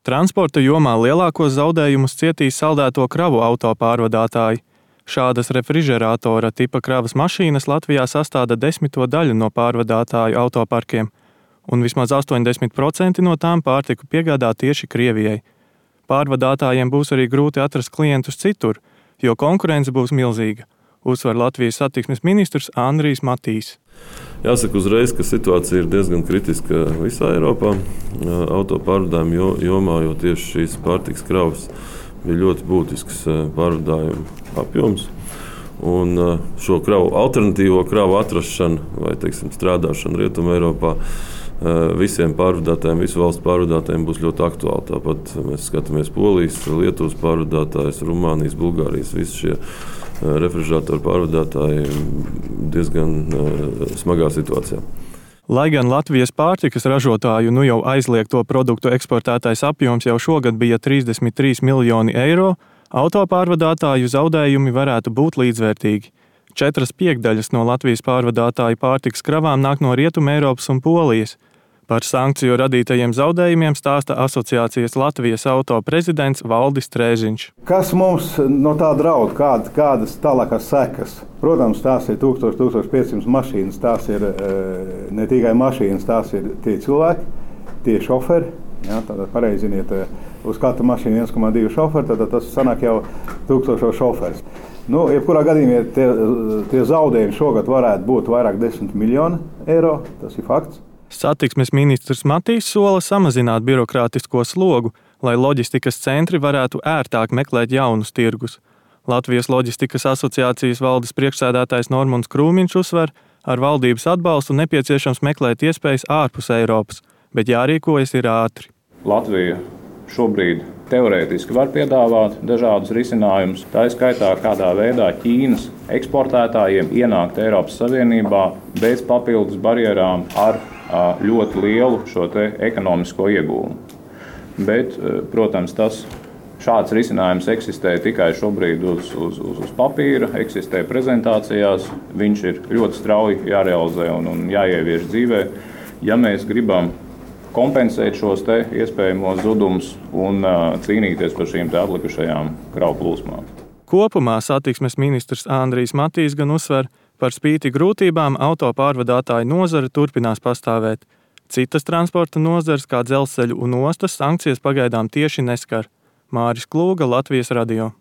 Transporta jomā lielākos zaudējumus cietīs saldēto kravu auto pārvadātāji. Šādas refrižerātora tipa kravas mašīnas Latvijā sastāda 10% no pārvadātāju autoparkiem, un vismaz 80% no tām pārtiku piegādā tieši Krievijai. Pārvadātājiem būs arī grūti atrast klientus citur, jo konkurence būs milzīga, uzsver Latvijas satiksmes ministrs Andrijs Matīs. Jāsaka uzreiz, ka situācija ir diezgan kritiska visā Eiropā auto pārvadājumu jomā, jo tieši šīs pārtikas kravas bija ļoti būtisks pārvadājumu apjoms. Un šo alternatīvo kravu atrašana vai strādāšana Rietumē Eiropā visiem pārvadātājiem, visu valstu pārvadātājiem būs ļoti aktuāli. Tāpat mēs skatāmies Polijas, Lietuvas pārvadātājus, Rumānijas, Bulgārijas, visi šie refrižerātoru pārvadātāji diezgan smagā situācijā. Lai gan Latvijas pārtikas ražotāju jau aizliegto produktu eksportētais apjoms jau šogad bija 33 miljoni eiro, autopārvadātāju zaudējumi varētu būt līdzvērtīgi. 4/5 no Latvijas pārvadātāju pārtikas kravām nāk no Rietuma Eiropas un Polijas. Par sankciju radītajiem zaudējumiem stāsta asociācijas Latvijas auto prezidents Valdis Trēziņš. Kas mums no tā draud, kādas tālākās sekas? Protams, tās ir 1500 mašīnas, tās ir ne tikai mašīnas, tās ir tie cilvēki, tie šoferi. Ja, tātad pareiziniet, uz katru mašīnu 1,2 šoferi, tad tas sanāk jau 1000 šoferis. Jebkurā gadījumā tie zaudējumi šogad varētu būt vairāk 10 miljoni eiro, tas ir fakts. Satiksmes ministrs Matīs sola samazināt birokrātisko slogu, lai loģistikas centri varētu ērtāk meklēt jaunus tirgus. Latvijas loģistikas asociācijas valdes priekšsēdētājs Normunds Krūmiņš uzsver, ar valdības atbalstu nepieciešams meklēt iespējas ārpus Eiropas, bet jārīkojas ir ātri. Latvija šobrīd teorētiski var piedāvāt dažādus risinājumus. Tā ir skaitā, kādā veidā Ķīnas eksportētājiem ienākt Eiropas Savienībā bez papildus barjerām ar ļoti lielu šo ekonomisko iegūmu. Bet, protams, šāds risinājums eksistē tikai šobrīd uz papīra, eksistē prezentācijās. Viņš ir ļoti strauji jārealizē un jāievieš dzīvē. Ja mēs gribam kompensēt šos iespējamos zudumus un cīnīties par šīm atlikušajām kravu plūsmām. Kopumā satiksmes ministrs Andrijs Matīs gan uzsver, par spīti grūtībām auto pārvadātāju nozare turpinās pastāvēt. Citas transporta nozares, kā dzelzceļu un ostas, sankcijas pagaidām tieši neskar. Māris Klūga, Latvijas radio.